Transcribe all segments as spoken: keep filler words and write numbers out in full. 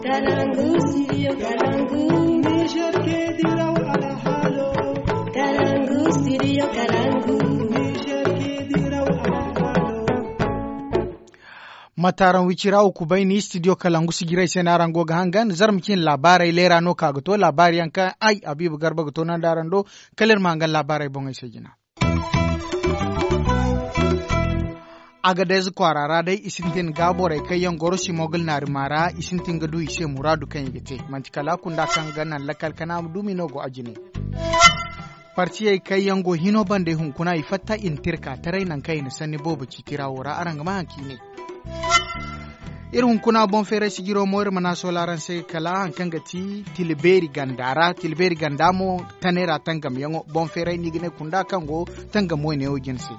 Kalangu, studio Kalangu. Niger ke diraw alhalo. Kalangu, studio Kalangu. Niger ke diraw alhalo. Mataaran wicira wo kubay ni studio Kalangu sijirey se no araŋ go ga hangan zarma cine laabaarey leera no ka ga to laabaari yaŋ kaŋ ay Habiibu Garba ga to naŋ da araŋ do. Kala iri ma hangan laabaarey boŋey se jina. Agadez kwaara ra day i sintin ga borey kaŋ yaŋ goro simogal naarima ra i sintin ga du i se muraadu kaŋ i ga te manti kala kunda kaŋ ga naŋ lakkal kana ma dumi no go a jine. Partiyey kaŋ yaŋ go hino bande hunkuna i fatta i na tirka taray naŋ kaŋ i na sanni boobo ci tira wo ra araŋ ga ma haŋ ka i ne. Iri hunkuna boŋ feeray sijiro mo iri mana sola araŋ se kala haŋ kaŋ ga ti tila beeri ganda ra tila beeri ganda mo tanay ra tangamyaŋo boŋ feeray no i ga ne kunda kaŋ go tangam wayne wo jine se.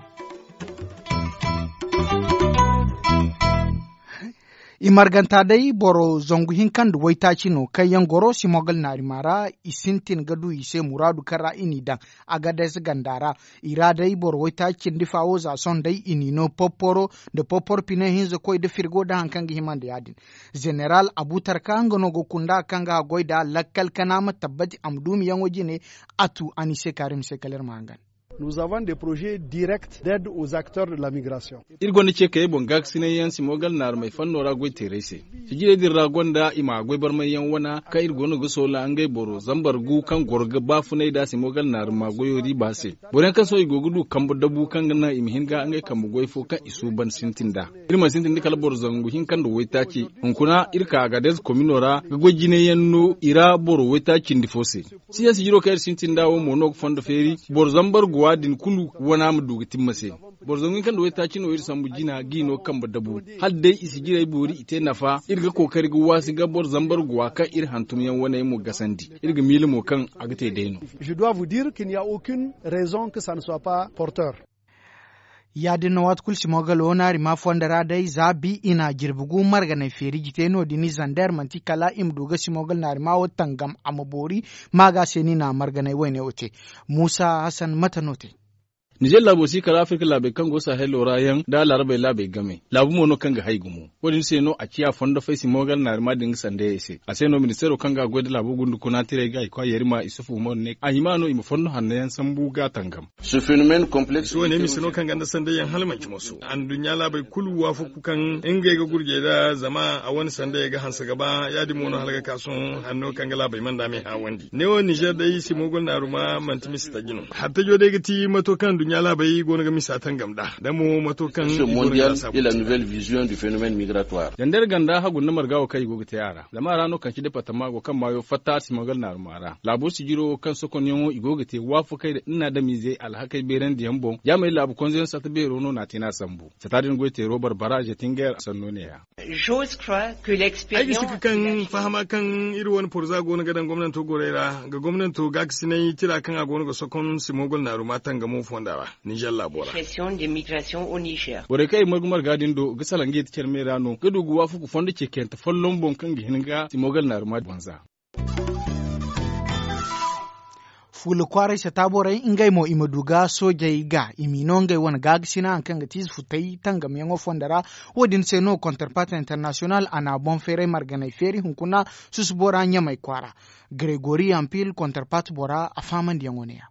I marganta day boro zangu hinka nda waytaaci no kaŋ yaŋ goro simogal naarima ra i sintin ga du i se muraadu kaŋ ra i n'i daŋ. Agadez ganda ra i ra day boro waytaaci cindi fa wo za sohõ day i n'i no popporo nda popporo pine hinza koy nda firgo nda haŋ kaŋ ga hima nda ya- din. Zeneral abutarka nga no ga kunda kaŋ ga haggoy nd'a lakkal kana ma tabbati a ma duumiyaŋo jine. A tu a n'i se kaari ma se kala iri ma hangan. Nous avons des projets directs d'aide aux acteurs de la migration. Iri gonda ce kayey boŋ gaakasinay yaŋ simogal naarumey fanno ra goy teerey se. Sijirey din ra gonda i ma goy barmay yaŋ wana kaŋ iri goono ga soola ngey boro zambar gu kaŋ goro ga baafunay nda simogal naaruma goyo riiba se. Boro yaŋ kaŋ sohõ i go ga du kambe dabu kaŋ ga naŋ i ma hin ga ngey kambe goy fo kaŋ i suuban sintin nd'a. Iri mana sintin da kala boro zangu hinka nda waytaaci. Hunkuna iri ka agadez komino ra ga goy jine yaŋ no i ra boro waytaaci cindi fo se. Siya sijiro kaŋ iri sintin nd'a wo mo no ga fondo feeri boro zambar guwa din kulu wana ma du ga timma se. Boro zangu hinka nda waytaaci no iri sambu jina g'i no kambe dabu. Hala day i sijirey boori i te nafa iri ga kookari ga waasi ga boro zambar guwa kaŋ iri hantum yaŋ waney mo gasandi. Iri ga miila mo kaŋ a ga te day no. Je dois vous dire qu'il n'y a aucune raison que ça ne soit pas porteur. Ya- din no waati kulu simogal wo naari ma fondo ra day za bi i na jirbi gu marganay feeri jite no- din i zander manti kala i ma du ga simogal naari ma wo tangam a ma boori. Ma ga se no i na marganay wayne wo te. Muusa hasan mate no te. Nizer laabo si kala afirka laabey kaŋ go sahelo ra yaŋ nda laarabey laabey game laabu mo no kaŋ ga hay gumo. Wo- din se no a ciya fondo fay simogal naari ma din ga sandayey se a se no ministeero kaŋ ga goy nda laabo gundu kuna tirey ga i kwa yerima isufu umaru ne a hima no i ma fondo hanno yaŋ sambu ga tangam. Mise wo ne mise no kaŋ ganda sanday yaŋ hala manci moso anduɲɲa laabey kulu waafaku kaŋ ngey ga gurjey nda zama a wane sanday ga hanse ga ba ya- din mo no hala ga ka sohõ hanno kaŋ ga laabey manda me haawandi ne wo nizer day simogol naaruma manti mise taji no. Hattajo day ga ti mato kaŋ anduɲɲa laabey go no ga misa tangam nd'a da mo mato kaŋ i go no ga laasaabu te nd'a. Zandar ganda hagu nda marga wo kaŋ i go ga te a ra zama a ra no kaŋ ci departama go kaŋ maayo fatta simogol naaruma ra laabo sijiro kaŋ sokonyaŋo i go ga te waafakey nda nin na adamiizey alhakey beerandiyaŋ boŋ jaamey laabu konzeyaŋ sata beero no n'a te n'a sambu. Sata din goy teero barbara zetinger sanno ne- ya. Ay ga sika kaŋ fahama kaŋ iri wane porza go no ga daŋ gomnanto gorey ra ga gomnanto gaakasinay tira kaŋ a go no ga sokon simogol naaruma tangamo fonda ra. Nizer laabo ra. Borey kaŋ i margu marga din do ga salaŋ ga yeti care me ra no ga du ga waafaku fondo ceekayante folloŋ boŋ kaŋ ga hin ga simogol naaruma banza. Fuula kwaaray sata borey ngey mo i ma du ga soojey ga i m'i no ngey wane gaagasi naŋ hari kaŋ ga ti ize futay tangamyaŋo fondo ra. Wo- din se no kontarpat internasiyonal a na boŋ feeray marganey feeri hunkuna susubo ra ɲamey kwaara. Gregori ampil kontarpat bora a faamandiyaŋo ne- ya.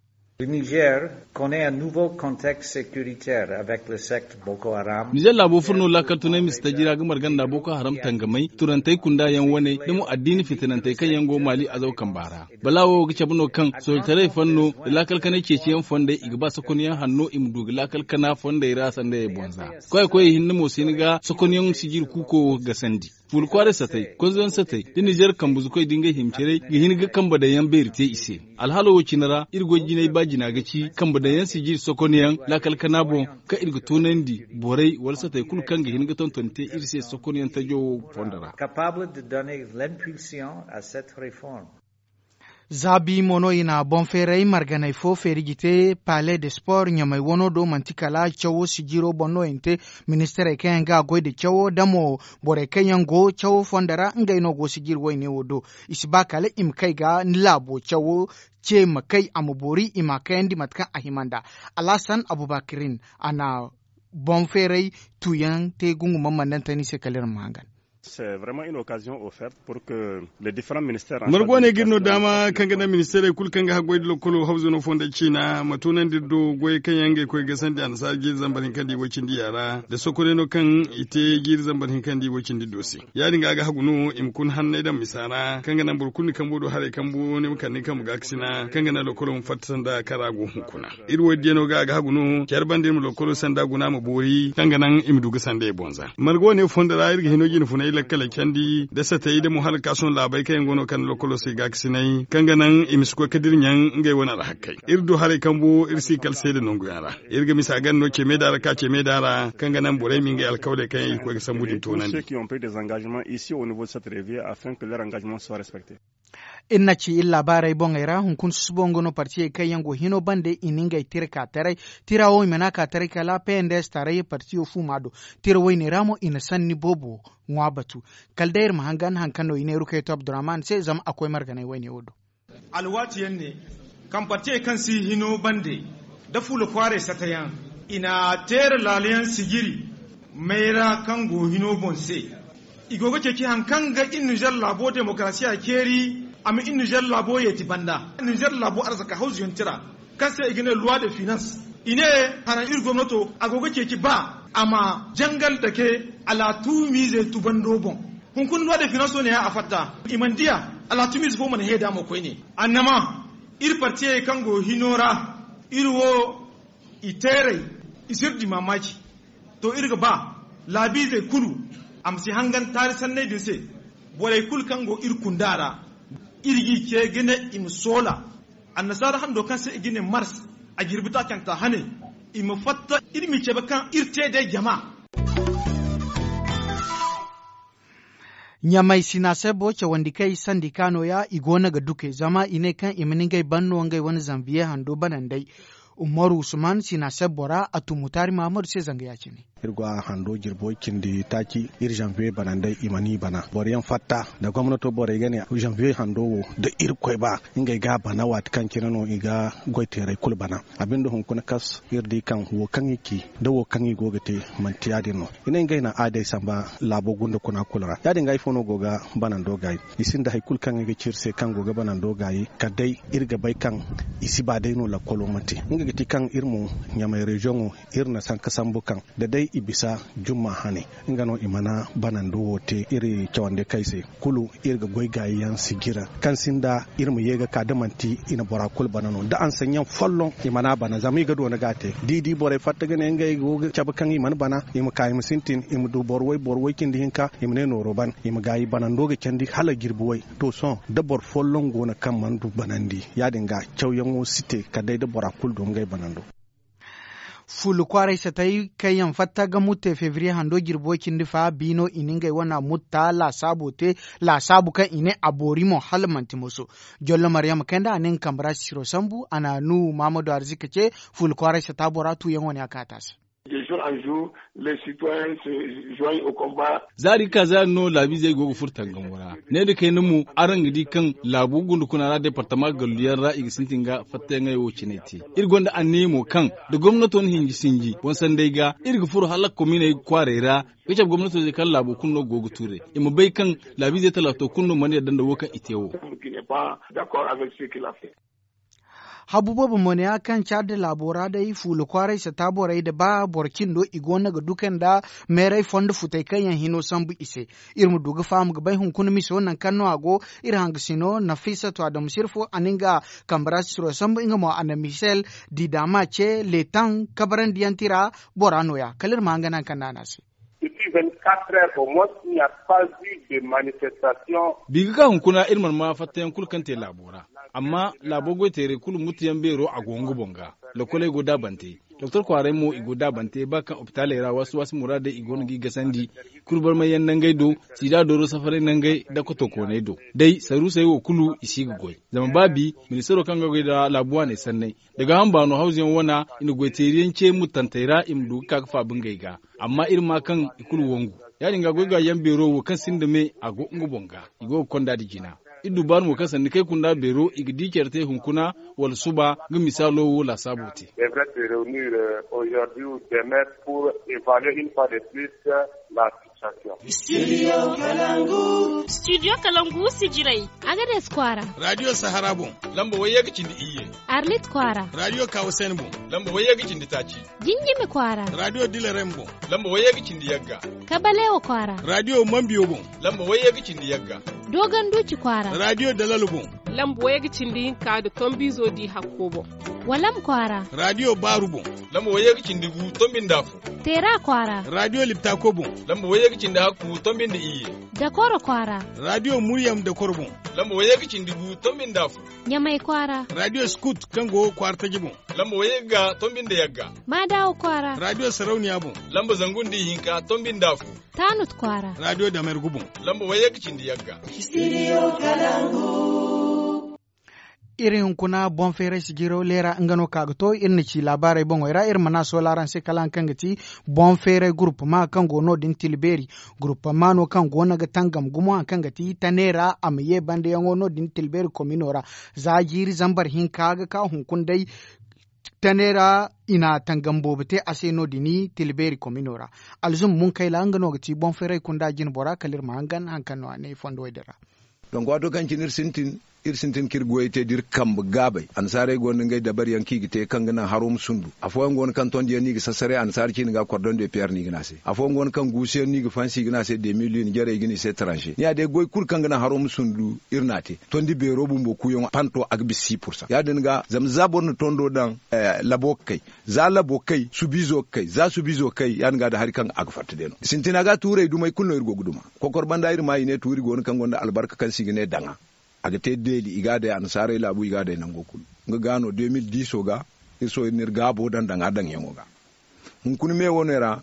Nizer laabo furo no laakal tunay mise taji ra ga marga nda boko haram tangamey turantey kunda yaŋ wane nda mo addiini fitinantey kaŋ yaŋ go maali azaw kamba ra. Balaawo ga cabe no kaŋ soojitaray fanno nda laakal kanay ceeciyaŋ fondey i ga ba sakonyaŋ hanno i ma du ga laakal kana fondey ra sandayey boŋ za. Koyey koyey hinne mo si hin ga sakonyaŋ sijiri kuuko wo ga gasandi. Fuula kwaaray satey konzoyaŋ satey nda nizer kambe zukoy da ngey hima carey ga hin ga kambe daŋ yaŋ beeri te i se. Alhaalo wo cine ra iri goy jinay ba jina ga ci kambe daŋ yaŋ sijiri sokonyaŋ laakal kana boŋ kaŋ iri ga toonandi borey wala satey kulu kaŋ ga hin ga tonton te iri se sokonyaŋ tajo wo fondo ra. Zaabi mo no i na boŋ feeray marganey fo feeri ga te pale de sport ɲamey wano do manti kala cawo sijiro boŋ no i na te. Ministirey kaŋ yaŋ ga goy nda cawo da mo borey kaŋ yaŋ go cawo fondo ra ngey no go sijiri wayne wo do. I si ba kala i ma kay ga ni laabo cawo ce ma kay a ma boori i ma a kayandi mate kaŋ a hima nd'a. Alhasan abubakirin a na boŋ feeray tuuyaŋ te gungu mammandantani se kala iri ma hangan. Margo ne ga iri no daama kaŋ ga naŋ ministeerey kulu kaŋ ga haggoy nda lokolo hawzano fonda ciina ma tunandi iri do goyey kaŋ yaŋ ngey koy ga sandi annasaara jiiri zambar hinka nda i way cindi ya ra nda sokoney no kaŋ i te jiiri zambar hinka nda i way cindi do se. Ya- din ga a ga hagu no i ma kun hanney daŋ misa ra kaŋ ga naŋ boro kulu ni kambo do haray kambu ni ma kande ni kambe gaakasina kaŋ ga naŋ lokolo ma fatta sanda kaŋ ra a go hunkuna. Iri wo- din diya no ga a ga hagu no care banda iri ma lokolo sanda guna ma boori kaŋ ga naŋ i ma du ga sandey boŋ za margo ne fondo ra iri ga hino jine funay lakkaley candi nda satey nda mo hala kaasuwan laabey kaŋ yaŋ go no kande lokolo se gaakasinay kaŋ ga naŋ i ma si koy ga dira ɲaŋ ngey wane alhakey. Iri du haray kambu iri si kala seeda nangu yaŋ ra. Iri ga misa ganda no ce meeda ra ka ce meeda ra kaŋ ga naŋ borey ma ngey alkawaley kaŋ yaŋ i ga koy ga sambu din toonandi. Iri na ci iri laabaarey boŋey ra hunkuna susubo nga no partiyey kaŋ yaŋ go hino bande i na ngey tira ka taray. Tira wo i mana ka taray kala pnds tarayya partiyo fuuma do. Tira woyne ra mo i na sanni boobo ŋwa batu. Kala day iri ma hangan hari kaŋ no i ne rukaytu abdurrahman se zama a koy marganay woyne wo do. Alwaati yaŋ ne kaŋ partiyey kaŋ si hino bande nda fuula kwaaray sata yaŋ i na teera laala yaŋ sijiri mayra kaŋ go hino boŋ se. I go ga ceeci hari kaŋ ga iri nizer laabo demokarasiya ceeri a ma iri nizer laabo yeeti banda nizer laabo arzaka hawzuyaŋ tira kaŋ se i ga ne loi de finance. I ne haraŋ iri gomnato a go ga ceeci ba a ma jangal dake alaatumiizey tubando boŋ. Hunkuna loi de finance wo ne ya a fatta i mana diya alaatumiize fo mana heeda mo koyne. Annama iri partiyey kaŋ go hino ra iri wo i teerey i si iri di maamaaci. To iri ga ba laabiizey kulu a ma si hangan taari sanney din se. Borey kulu kaŋ go iri kunda ra iri g'i ce ga ne i ma soola annasaara hando kaŋ se i ga ne mars a jirbi taacanta hane i ma fatta iri m'i cabe kaŋ iri te day jama. Ɲamay sinasebbo cawandi kay sandika nooya i go no ga duke zama i ne kaŋ i ma ni ngey ban no ngey wane zanbiye hando banandey. Umaru usman sinasebbo ra a tun mutaari mahamadu se zanga ya- cine. Iri go a hando jirbo cindi taaci iri zanbiye banandey i ma ni bana boro yaŋ fatta nda gomnato borey ga ne zanbiye hando wo da irkoy ba ngey ga a bana waati kaŋ cine no i ga goy teerey kulu bana. A binde hunkuna kas iri di kaŋ wo kaŋ i ci nda wo kaŋ i go ga te manti ya- din no. I ne ngey na aadey samba laabo gunda kuna kulu ra ya- din ga ifo no go ga banando gaayi. I sinda hari kulu kaŋ i ga ci iri se kaŋ go ga banando gaayi kala day iri ga bay kaŋ i si ba day no lakkolo ma te. Nga ga ti kaŋ iri mo ɲamay reziyoŋo iri na sanka sambu kaŋ da day i bisa jumma hane nga no i mana banando wo te iri cawandi kay se. Kulu iri ga goy gaayi yaŋ sijira kaŋ sinda iri ma ye ga ka da manti i na bora kulu bana no da ansanyaŋ folloŋ i mana bana zama i ga doona ga a te da i di borey fatta ga ne ngey go ga cabe kaŋ i mana bana i ma ka i ma sintin i ma du boro way boro way cindi hinka i ma ne nooro ban i ma gaayi banando ga candi hala jirbi way. To sohõ da boro folloŋ go no kaŋ mana du banandi ya- din ga cawyaŋo si te kala day da bora kulu du ngey banando. Fuula kwaaray satay kaŋ yaŋ fatta ga mutta febriye hando jirbo cindi fa biino i na ngey wana mutta laasaabo te. Laasaabu kaŋ i ne a boori mo hala manti moso. Jollo maryama kayndi a na nga kambe ra sisiro sambu a na nuhu mahamadu arzika ce. Fuula kwaaray sata bora tuuyaŋo ne a kaata se. Zaari ga ka zaari no laabiizey go ga furo tangamo ra. Ne nda kayna mo araŋ ga di kaŋ laabu gunda kuna ra departama galluyaŋ ra i ga sintin ga fattayaŋey wo cine te. Iri gonda anniya mo kaŋ da gomnato na hinji sinji boŋ sanday ga iri ga furo hala kominey kwaarey ra. Ga cabe gomnato se kaŋ laabo kulu no go ga tuurey i ma bay kaŋ laabiizey talaato kulu no mana yadda nda wo kaŋ i te wo. Habu boobo mo ne ya kaŋ caadi laabo ra day fuula kwaaray sata borey nda ba boro cindo i go no ga duka nda meeray fondo futey kaŋ yaŋ hino sambu i se. Iri ma du ga faham ga bay hunkuna miso nangu kaŋ no a go. Iri hangasino nafisatu adamu sirfo a na nga kambe ra sisiro sambu nga mo a na misel didama ce letan kabarandiyaŋ tira bora nooya kala iri ma hanga nangu kaŋ no a ne a se. Biga ga hunkuna iri mana ma fattayaŋ kulu kaŋ te laabo ra. Amma laabo goyteerey kulu mutuyaŋ beero a go nga boŋ ga. Lokoley go daabante doktor kwaaray mo i go daabante ba kaŋ opitaaley ra waasi waasi muraadey i go no g'i gasandi. Kulu barmayyaŋ nangey do siida dooro safaray nangey nda kotokooney do. Day saruusey wo kulu i si ga goy. Zama ba bi ministaro kaŋ ga goy nda laabu waaney sanney nda gaaham baano hawzuyaŋ wana i na goyteeriyaŋ ce muttantey ra i ma du ga ka ga faabu ngey ga. Amma iri maa kaŋ i kulu wangu. Ya- din ga goy gaayaŋ beero wo kaŋ sinda me a go nga boŋ ga. I go ga konda nda jina. Iri du baani mo kaŋ sanda kay kunda beero i ga di care te hunkuna wala suba nga misaalo wo laasaabo te. Devrait se reunir aujourd'hui ou demain pour evaluer une fois de plus la Studio kalangu sijirey. Agades kwaara. Radio sahara boŋ. Lamba wayye ga cindi iyye. Arlit kwaara. Radio kawasen boŋ. Lamba wayye ga cindi taaci. Jinjimi kwaara. Radio dilarem boŋ. Lamba wayye ga cindi yagga. Kabalewa kwaara. Radio mambiyo boŋ. Lamba wayye ga cindi yagga. Dogon duuci kwaara. Radio dalal boŋ. Lamba wayye ga cindi hinka nda tombiizo di hakko boŋ. Walam kwaara. Radio baaru boŋ. Lamba wayye ga cindi gu tombi nda afo. Teera kwaara. Radio liptako boŋ. Lamba wayye ga cindi hakku tombi nda iyye. Dakoro kwaara. Radio muryam dakoro boŋ. Lamba wayye ga cindi gu tombi nda afo. Ɲamay kwaara. Radio skut kaŋ go kwaara taji boŋ. Lamba wayye ga tombi nda yagga. Maadawa kwaara. Radio sarauniya boŋ. Lamba zangu nda ihinka tombi nda afo. Taanut kwaara. Radio damergu boŋ. Lamba wayye ga cindi yagga. Iri hunkuna boŋ feeray sijiro leera nga no ka ga to iri na ci laabaarey boŋey ra iri mana soolaaranse kala hari kaŋ ga ti boŋ feeray gurupama kaŋ go no- din tilbeeri. Gurupama no kaŋ go no ga tangam gumo hari kaŋ ga ti tane ra a ma ye bandayaŋo no- din tilbeeri komino ra. Za jiiri zambar hinka ga ka hunkuna day tane ra i na tangam boobo te a se no- din tilbeeri komino ra. Alzum munkayla nga no ga ti boŋ feeray kunda jinbora kala iri ma hangan hari kaŋ no a ne fondo wo- din ra. Donk waato kaŋ cine iri sintin iri sintin ka iri goyey te da iri kambe gaabey annasaarey go no da ngey dabari yaŋ kaŋ i ga te kaŋ ga naŋ haro ma sundu. Afooyaŋ go no kaŋ tondi yaŋ no i ga sasaray annasaara ciine ga kordon de piyer no i ga ne a se. Afooyaŋ go no kaŋ guusu yaŋ no i ga fansi i ga ne a se de mil i na jarey ga ne i se taranse ni ya day goy kulu kaŋ ga naŋ haro ma sundu iri n'a te. Tondi beero bumbo kuuyaŋo panto a ga bisa si pursa ya- din ga zama za boro na tondo daŋ labo ga kay. Za labo kay subiizo ga kay za subiizo ga kay ya- din ga da hari kaŋ a ga fatta day no sintina ga tuurey dumey kulu no iri go ga duma. Kokor banda iri ma i ne tuuri go no kaŋ gonda albarka kaŋ se i ga ne daŋa. A ga te deeli i ga a day annasaarey laabu i ga a day nango kulu. Nga ga no de mil diiso ga iri sohõ iri na iri gaabo daŋ daŋa daŋyaŋo ga. Hunkuna me wo- ne ra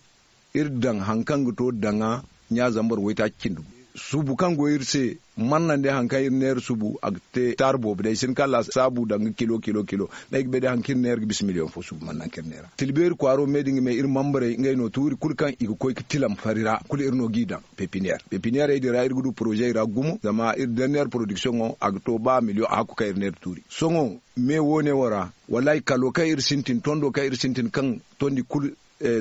iri daŋ hari kaŋ ga to daŋa ɲa zambar waytaaci cindi gu. Subu kaŋ go iri se mannandi hari kaŋ iri neera subu a ga te taari boobo day si hin ka laasaabu daŋ ga kilo kilo kilo. D'ay ga bay day hari kaŋ iri neera ga bisa miliyoŋ fo subu mannanka iri neera tilbeeri kwaaro me da nga me iri mambarey ngey no tuuri kulu kaŋ i ga koy ga tilam fari ra kulu iri no g'i daŋ. Pepiniyeer pepiniyeerey din ra iri ga du porozey ra gumo zama iri derniyeer porodiksiyoŋo a ga to ba miliyoŋ a hakku kaŋ iri neera tuuri sohõ me wo- ne wo ra. Wallaahi kalo kaŋ iri sintin tondo kaŋ iri sintin kaŋ tondi kulu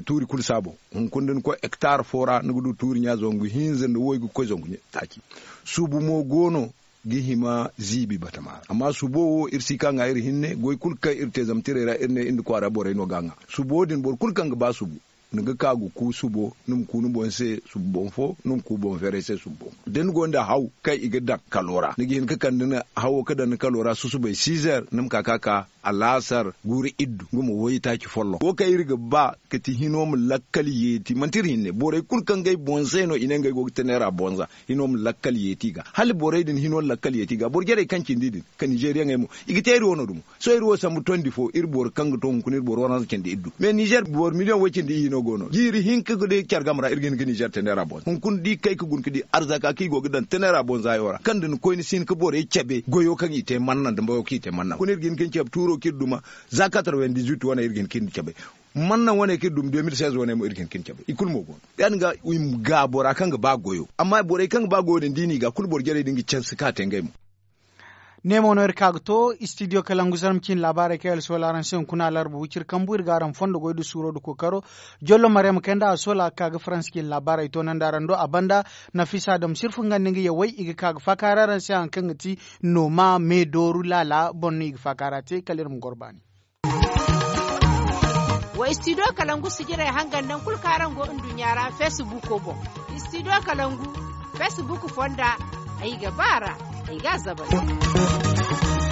tuuri kulu saabo. Hunkuna da ni koy hektar fo ra ni ga du tuuri ɲa zangu hinza nda waygu ga koy zangu taaci. Subu mo go no ga hima ziibi batama ra amma subo wo iri si ka ŋwa iri hinne goy kulu kaŋ iri te zama tirey ra iri ne iri nda kwaara borey no ga a ŋwa. Subo din boro kulu kaŋ ga ba subu ni ga ka ga ku subo ni ma ku ni boŋ se subu boŋ fo ni ma ku boŋ feeray se subu boŋ fo da ni go nda haw kaŋ i ga daŋ kalo ra ni ga hin ga kande ni hawo ga daŋ ni kalo ra susubay sizer ni ma ka ka ka alaasar guuru iddu nga ma waytaaci folloŋ wo kaŋ iri ga ba ga ti hino ma lakkal yeeti manti iri hinne borey kulu kaŋ ga ay boŋ se no i ne ngey go ga te neera boŋ za hino ma lakkal yeeti i ga hala borey din hino lakkal yeeti i ga boro jarey kaŋ cindi din ka ninzeeriyaŋey mo i ga te iri wano dumo. Sohõ iri wo sambu tondi fo iri boro kaŋ ga to hunkuna iri boro waranza cindi iddu me ninzeer boro miliyoŋ way cindi ihi no go no jiiri hinka ga day care game ra iri ga hin ga ninzeer te neera boŋ hunkuna da i kay ga guna ga di arzaka kaŋ i go ga daŋ te neera boŋ za yaŋo ra kaŋ da ni koy ni si hin ga borey cabe goyo kaŋ i te manna nda mbayo kaŋ i te manna hunkuna iri ga hin ga ni cabe tuuro kaŋ iri duma za katarwendizwit wane iri ga hin ga ni cabe manna wane kaŋ iri duma de mil seize wane mo iri ga hin ga ni cabe i kulu mo go no ya- din ga i ma ga bora kaŋ ga ba goyo amma borey kaŋ ga ba goyo din da i n'i ga kulu boro jarey din ga canse ka te ngey mo. Ne mo no iri ka ga to istidiyo kalangu zarma ciine laabaarey kaŋ iri soola araŋ se hunkuna alarba wiciri kambu iri ga araŋ fondo goy da suuro da kookaro. Jollo mariyama kayna da a soola ga ka ga faransa ciine laabaarey toonandi araŋ do a banda. Nafisa adam sirfu nga nda nga yawey i ga ka ga faakaari araŋ se hari kaŋ ga ti nooma me dooru laala boŋ no i ga faakaara te kala iri ma goro baani. Wa istidiyo kalangu sijirey hangan nangu kulu kaŋ araŋ go nduɲɲa ra feesibuko boŋ. Istidiyo kalangu feesibuk fonda ay ga ba a ra ay ga a zabari.